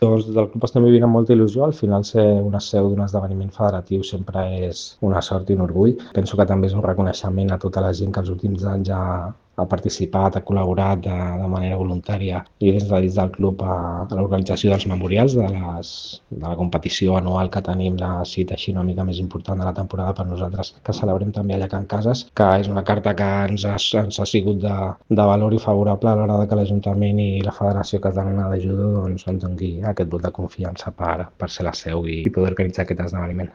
Doncs des del club estem vivint amb molta il·lusió. Al final ser una seu d'un esdeveniment federatiu sempre és una sort i un orgull. Penso que també és un reconeixement a tota la gent que els últims anys ha participat, ha col·laborat de manera voluntària i des del club a l'organització dels memorials de la competició anual que tenim, la cita així una mica més important de la temporada per nosaltres, que celebrem també allà a Can Cases, que és una carta que ens ha sigut de valor i favorable a l'hora que l'Ajuntament i la Federació Catalana de Judo ens doni aquest vot de confiança per ser la seu i poder organitzar aquest esdeveniment.